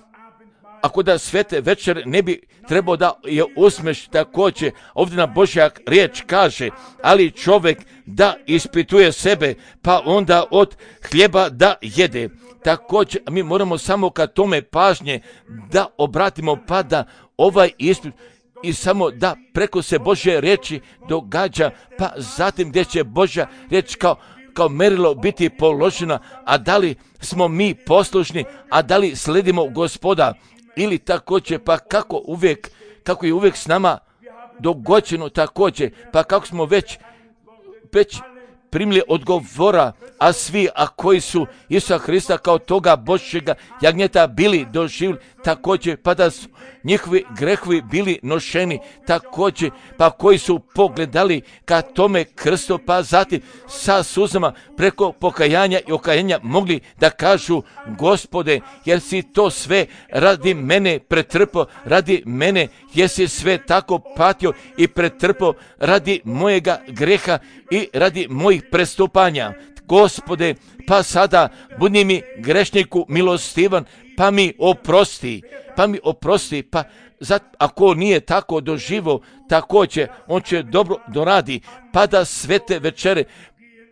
ako da svete večer ne bi trebao da je usmeš. Također ovdje na Božja riječ kaže: ali čovjek da ispituje sebe, pa onda od hljeba da jede. Također mi moramo samo ka tome pažnje da obratimo, pa da ovaj ispit i samo da preko se Božje riječi događa, pa zatim gdje će Božja riječ kao kao merilo biti položena, a da li smo mi poslušni, a da li sledimo Gospoda, ili također, pa kako uvijek, kako je uvijek s nama dogođeno također, pa kako smo već, već primili odgovora, a svi, a koji su Isusa Hrista kao toga Božjega jagnjeta bili doživjeli također, pa da su njihovi grehovi bili nošeni, također, pa koji su pogledali ka tome krstu, pa zatim sa suzama preko pokajanja i okajanja mogli da kažu: Gospode, jer si to sve radi mene pretrpao, radi mene, jer si sve tako patio i pretrpao radi mojega greha i radi mojih prestupanja. Gospode, pa sada budi mi grešniku milostivan, pa mi oprosti, pa mi oprosti, pa zat, ako nije tako doživo, također on će dobro doradi, pa da svete večere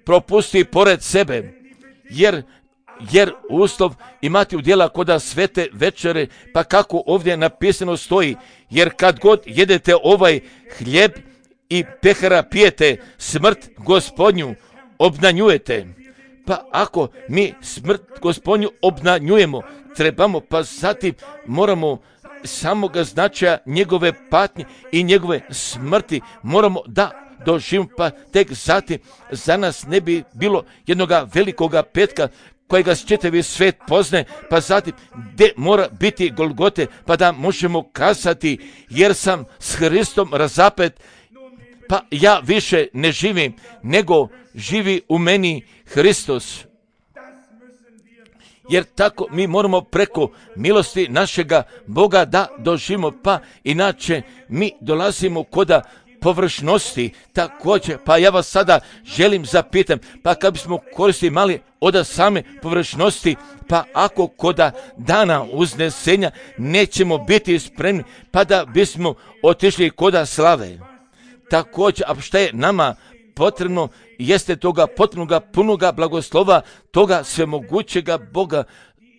propusti pored sebe, jer jer uslov imati udjela koda svete večere, pa kako ovdje napisano stoji, jer kad god jedete ovaj hljeb i pehara pijete, smrt Gospodnju obnanjujete. Pa ako mi smrt Gospodnju obnanjujemo, trebamo, pa zatim moramo samoga značaja njegove patnje i njegove smrti moramo da doživimo, pa tek zatim za nas ne bi bilo jednoga velikoga petka kojega čitavi svet pozne, pa zatim gdje mora biti Golgote, pa da možemo kazati: jer sam s Hristom razapet, pa ja više ne živim, nego živi u meni Hristos. Jer tako mi moramo preko milosti našega Boga da doživimo, pa inače mi dolazimo koda površnosti također. Pa ja vas sada želim zapitam, pa kad bismo koristili mali od same površnosti, pa ako koda dana uznesenja nećemo biti spremni, pa da bismo otišli koda slave. Također, a šta je nama potrebno, jeste toga potrebnoga punoga blagoslova, toga svemogućega Boga,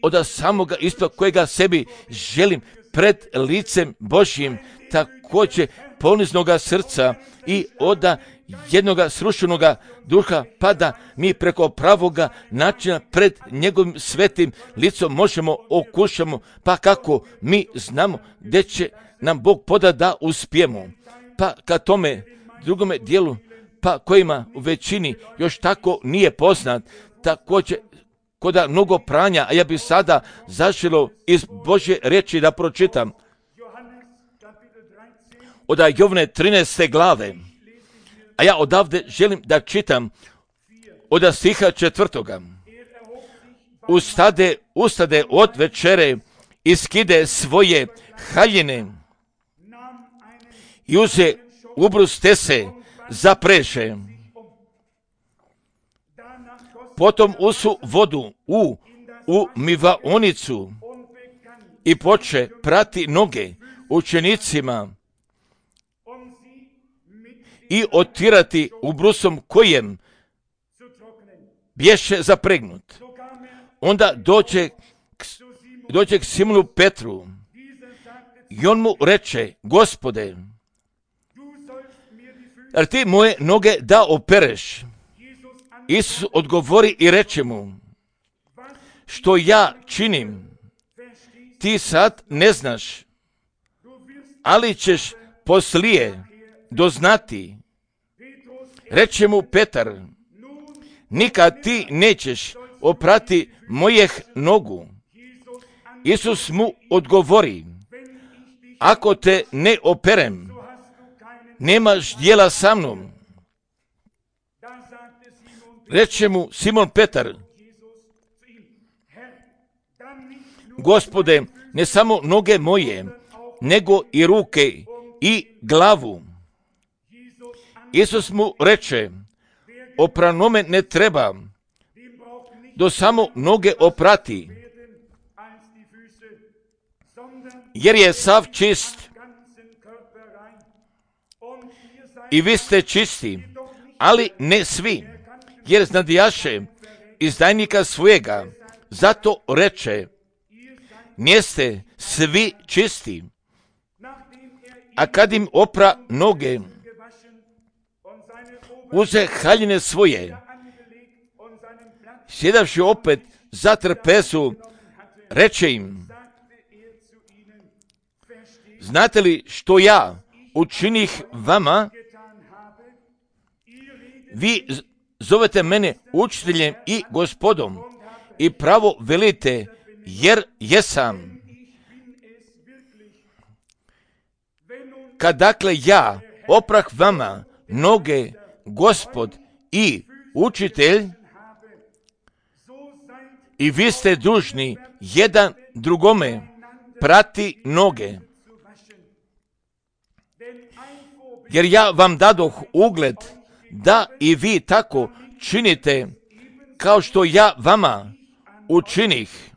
od samoga isto kojega sebi želim pred licem Božjim, također poniznoga srca i od jednoga srušenoga duha, pa da mi preko pravoga načina pred njegovim svetim licom možemo okušamo, pa kako mi znamo gdje će nam Bog poda da uspijemo. Pa ka tome drugome dijelu, pa kojima u većini još tako nije poznat, također koda mnogo pranja, a ja bi sada zaželo iz Božje riječi da pročitam. Od Jovne trinaeste glave, a ja odavde želim da čitam od stiha četvrtoga. Ustade, ustade od večere i skide svoje haljine i uze ubrus tese, zapreše. Potom usu vodu u umivaonicu i poče prati noge učenicima i otirati ubrusom kojem bješe zapregnut. Onda dođe, dođe k Simonu Petru i on mu reče: Gospode, jer ti moje noge da opereš? Isus odgovori i reče mu: što ja činim, ti sad ne znaš, ali ćeš poslije doznati. Reče mu Petar: nikad ti nećeš oprati mojeh nogu. Isus mu odgovori: ako te ne operem, nemaš djela sa mnom. Reče mu Simon Petar: Gospode, ne samo noge moje, nego i ruke i glavu. Isus mu reče: opranome ne treba, do samo noge oprati, jer je sav čist. I vi ste čisti, ali ne svi, jer znadijaše izdajnika svojega. Zato reče: niste svi čisti. A kad im opra noge, uze haljine svoje, sjedavši opet za trpezu, reče im: znate li što ja učinih vama? Vi zovete mene učiteljem i gospodom i pravo velite, jer jesam. kad dakle ja oprah vama noge, Gospod i učitelj, i vi ste dužni jedan drugome prati noge. Jer ja vam dadoh ugled da i vi tako činite kao što ja vama učinih.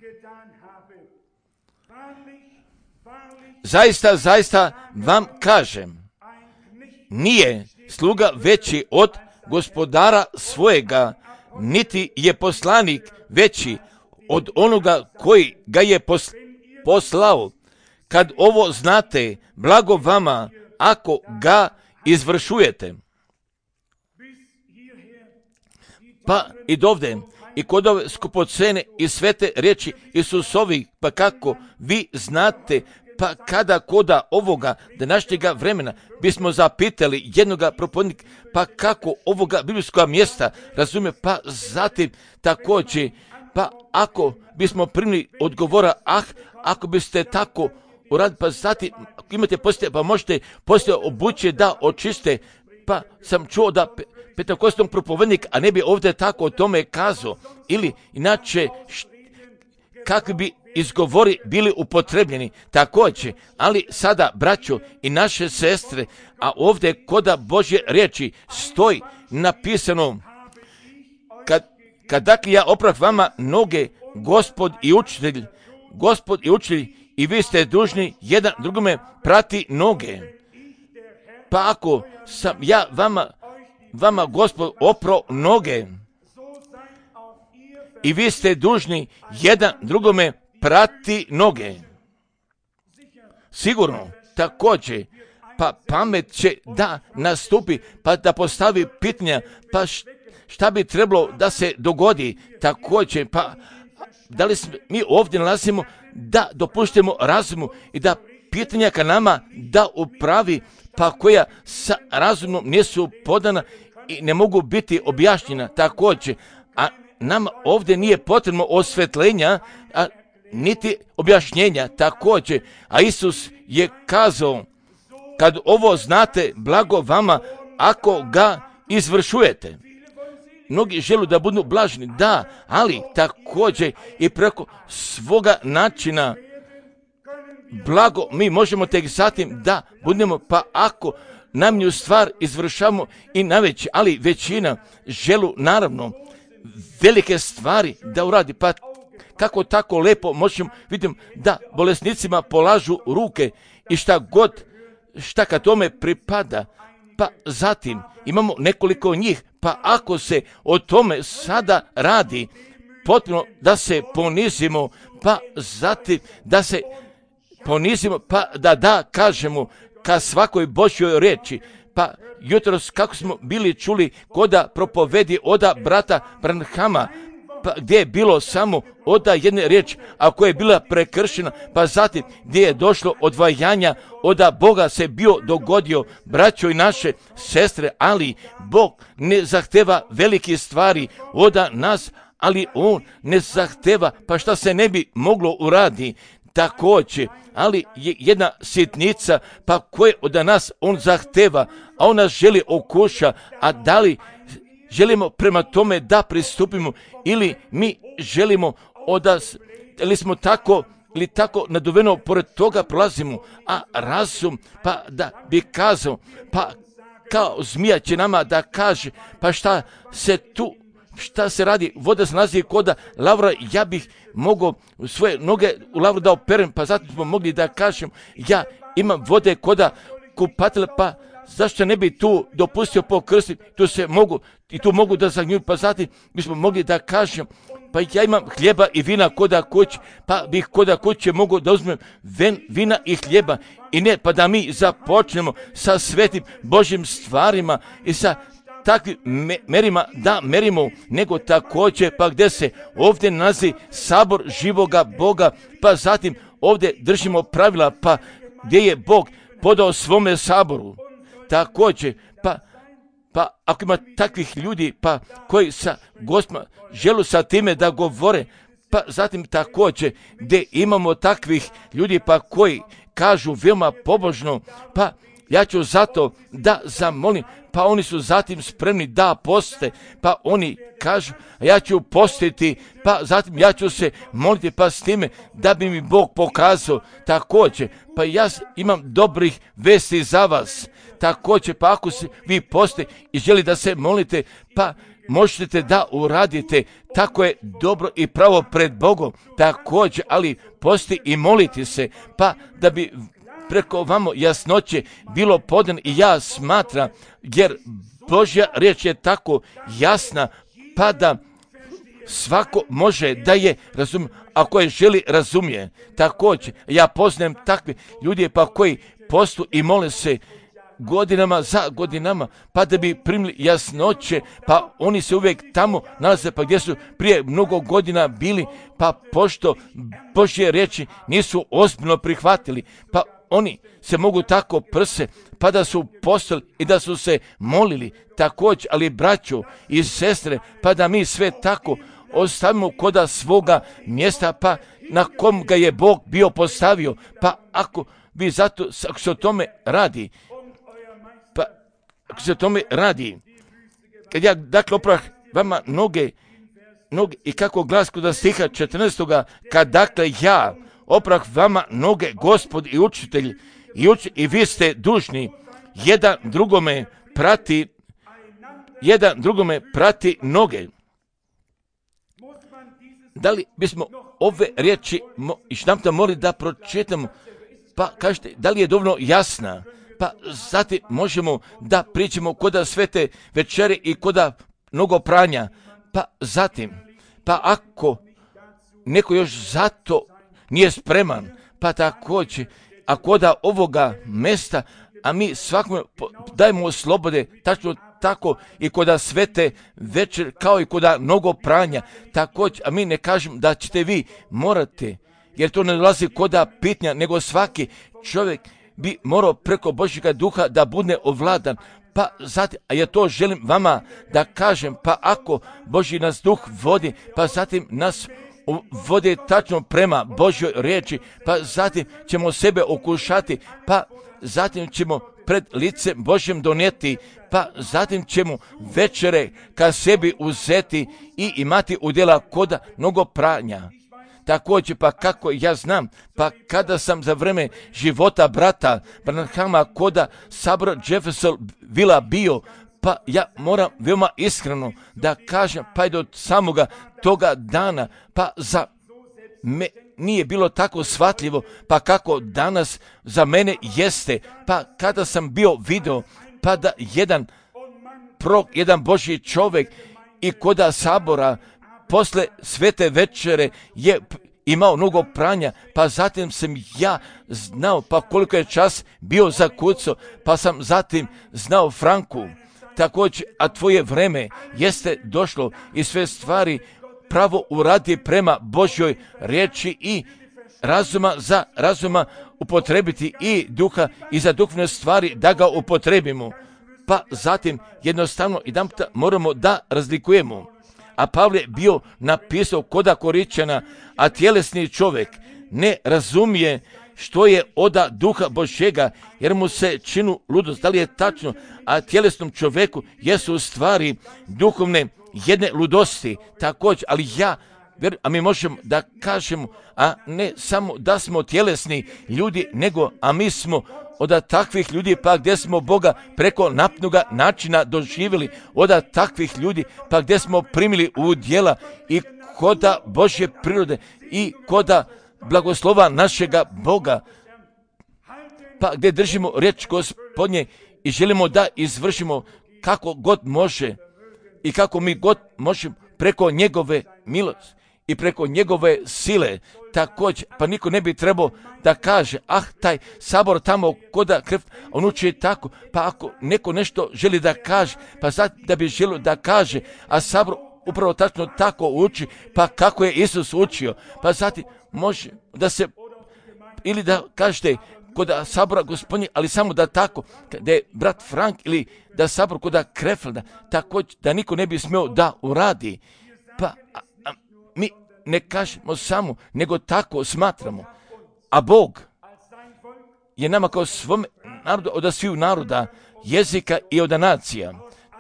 Zaista, zaista vam kažem, nije sluga veći od gospodara svojega, niti je poslanik veći od onoga koji ga je poslao. Kad ovo znate, blago vama ako ga izvršujete. Pa i dovde, i kod ove skupocene i svete riječi Isusovi, pa kako vi znate, pa kada koda ovoga današnjega vremena bismo zapitali jednoga propovednika, pa kako ovoga biblijskoga mjesta razumije, pa zatim također, pa ako bismo primili odgovora, ah, ako biste tako uradili, pa zatim ako imate poslije, pa možete poslije obuće da očiste, pa sam čuo da pe, petakostnog propovednik, a ne bi ovdje tako o tome kazao, ili inače št, kakvi bi izgovori bili upotrebljeni također, ali sada, braćo i naše sestre, a ovdje koda Božje riječi stoji napisano, kad, kad dakle ja oprah vama noge, Gospod i učitelj, Gospod i učitelj, i vi ste dužni jedan drugome prati noge. Pa ako sam ja vama, vama Gospod opro noge, i vi ste dužni jedan drugome prati noge. Sigurno, također, pa pamet će da nastupi, pa da postavi pitanja, pa šta bi trebalo da se dogodi, također, pa da li mi ovdje nalazimo da dopuštimo razumu i da pitanja ka nama da upravi, pa koja sa razumom nisu podana i ne mogu biti objašnjena također, a nama ovdje nije potrebno osvetljenja, a niti objašnjenja također, a Isus je kazao, kad ovo znate, blago vama ako ga izvršujete. Mnogi žele da budu blažni, da, ali također i preko svoga načina blago mi možemo tek zatim da budemo, pa ako namnju stvar izvršamo i najveći, ali većina želu naravno velike stvari da uradi, pa kako tako lepo možemo vidimo da bolesnicima polažu ruke i šta god, šta ka tome pripada, pa zatim imamo nekoliko njih, pa ako se o tome sada radi, potpuno da se ponizimo, pa zatim da se ponizimo, pa da da kažemo ka svakoj Božjoj riječi, pa jutros kako smo bili čuli koda propovedi oda brata Branhama, pa gdje je bilo samo oda jedne riječi, a koja je bila prekršena, pa zatim gdje je došlo odvajanja, oda Boga se bio dogodio, braćo i naše sestre, ali Bog ne zahteva velike stvari oda nas, ali On ne zahteva, pa šta se ne bi moglo uradi također, ali je jedna sitnica, pa koje od nas On zahteva, a On nas želi okuša, a da li želimo prema tome da pristupimo ili mi želimo odas, ili smo tako ili tako naduveno pored toga prolazimo, a razum pa da bi kazao, pa kao zmija će nama da kaže, pa šta se tu, šta se radi, voda se nalazi koda lavra, ja bih mogao svoje noge u lavru da operem, pa zato smo mogli da kažem, ja imam vode koda kupatele, pa zašto ne bi tu dopustio pokrstiti, tu se mogu, i tu mogu da zagnju, pa zatim bismo mogli da kažem, pa ja imam hljeba i vina koda kuće, pa bih koda kuće mogu da uzmem ven, vina i hljeba, i ne, pa da mi započnemo sa svetim Božjim stvarima i sa takvim me, merima da merimo, nego također, pa gdje se ovdje nalazi sabor živoga Boga, pa zatim ovdje držimo pravila, pa gdje je Bog podao svome saboru. Također, pa, pa ako ima takvih ljudi, pa koji sa Gospodom želu sa time da govore, pa zatim također gdje imamo takvih ljudi, pa koji kažu veoma pobožno, pa ja ću zato da zamolim, pa oni su zatim spremni da poste, pa oni kažu, ja ću postiti, pa zatim ja ću se moliti, pa s time da bi mi Bog pokazao također, pa ja imam dobrih vesti za vas, također, pa ako se vi poste i želi da se molite, pa možete da uradite, tako je dobro i pravo pred Bogom, također, ali posti i moliti se, pa da bi preko vamo jasnoće bilo podan i ja smatram, jer Božja riječ je tako jasna, pa da svako može da je razumije, ako je želi razumije. Također, ja poznajem takve ljudi pa koji postu i mole se godinama za godinama, pa da bi primili jasnoće, pa oni se uvijek tamo nalaze, pa gdje su prije mnogo godina bili, pa pošto Božje riječi nisu ozbiljno prihvatili, pa oni se mogu tako prse, pa da su postali i da su se molili također, ali braćo i sestre, pa da mi sve tako ostavimo koda svoga mjesta, pa na kom ga je Bog bio postavio, pa ako vi zato, ako se o tome radi, pa ako se o tome radi, kad ja dakle oprah vama noge, noge i kako glas kod stiha četrnaestoga, kad dakle ja oprah vama noge, Gospod i učitelj, i, uč, i vi ste dužni jedan drugome prati, jedan drugome prati noge. Da li bismo ove riječi još nam to morali da pročitamo, pa kažete, da li je dovoljno jasna, pa zatim možemo da pričamo koda svete večere i koda mnogo pranja, pa zatim, pa ako neko još zato nije spreman, pa također, a koda ovoga mesta, a mi svakome dajemo slobode, tačno tako i koda svete večer, kao i koda mnogo pranja, također, a mi ne kažem da ćete vi morate, jer to ne dolazi koda pitnja, nego svaki čovjek bi morao preko Božjega duha da bude ovladan, pa zatim, a ja to želim vama da kažem, pa ako Božji nas duh vodi, pa zatim nas vode tačno prema Božjoj riječi, pa zatim ćemo sebe okušati, pa zatim ćemo pred licem Božjem donijeti, pa zatim ćemo večere ka sebi uzeti i imati udjela koda mnogo pranja. Također, pa kako ja znam, pa kada sam za vreme života brata Branhama koda sabor Jeffersonville bio, pa ja moram veoma iskreno da kažem, pa i do samoga toga dana, pa za me nije bilo tako shvatljivo, pa kako danas za mene jeste, pa kada sam bio video, pa da jedan prok, jedan Božji čovjek i koda sabora posle svete večere je imao mnogo pranja, pa zatim sam ja znao, pa koliko je čas bio zakucao, pa sam zatim znao Franku, također, a tvoje vreme jeste došlo i sve stvari pravo uradi prema Božjoj riječi i razuma za razuma upotrebiti i duha i za duhovne stvari da ga upotrebimo. Pa zatim jednostavno i da moramo da razlikujemo. A Pavle bio napisao koda Koričana, a tjelesni čovjek ne razumije što je oda duha Božjega, jer mu se činu ludost. Da li je tačno? A tjelesnom čovjeku jesu u stvari duhovne jedne ludosti, također, ali ja, a mi možemo da kažemo, a ne samo da smo tjelesni ljudi, nego, a mi smo od takvih ljudi, pa gdje smo Boga preko napnuga načina doživjeli, od takvih ljudi, pa gdje smo primili u djela i koda Božje prirode i koda blagoslova našega Boga, pa gdje držimo riječ Gospodnje i želimo da izvršimo kako god može i kako mi god možemo preko njegove milosti i preko njegove sile. Također, pa niko ne bi trebao da kaže, ah, taj sabor tamo koda krv, on uči tako, pa ako neko nešto želi da kaže, pa sad da bi želio da kaže, a sabor upravo tačno tako uči, pa kako je Isus učio, pa zatim može da se, ili da kažete, kod sabora Gospodnje, ali samo da tako, da je brat Frank ili da sabor kod Krefelda, tako da niko ne bi smio da uradi. Pa a, a, mi ne kažemo samo, nego tako smatramo. A Bog je nama kao svome naroda, od sviju naroda, jezika i od nacija.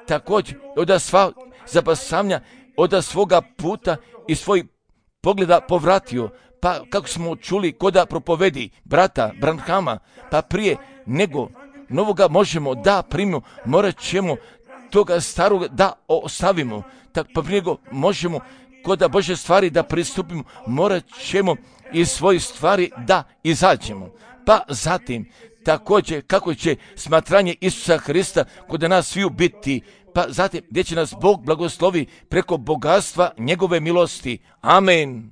Također od sva zapasavanja, od svoga puta i svojih pogleda povratio. Pa kako smo čuli koda propovedi brata Branhama, pa prije nego novoga možemo da primimo, morat ćemo toga starog da ostavimo. Tak, pa prije nego možemo koda Bože stvari da pristupimo, morat ćemo iz svojih stvari da izađemo. Pa zatim, također kako će smatranje Isusa Hrista kod nas sviju biti, pa zatim gdje će nas Bog blagoslovi preko bogatstva njegove milosti. Amen.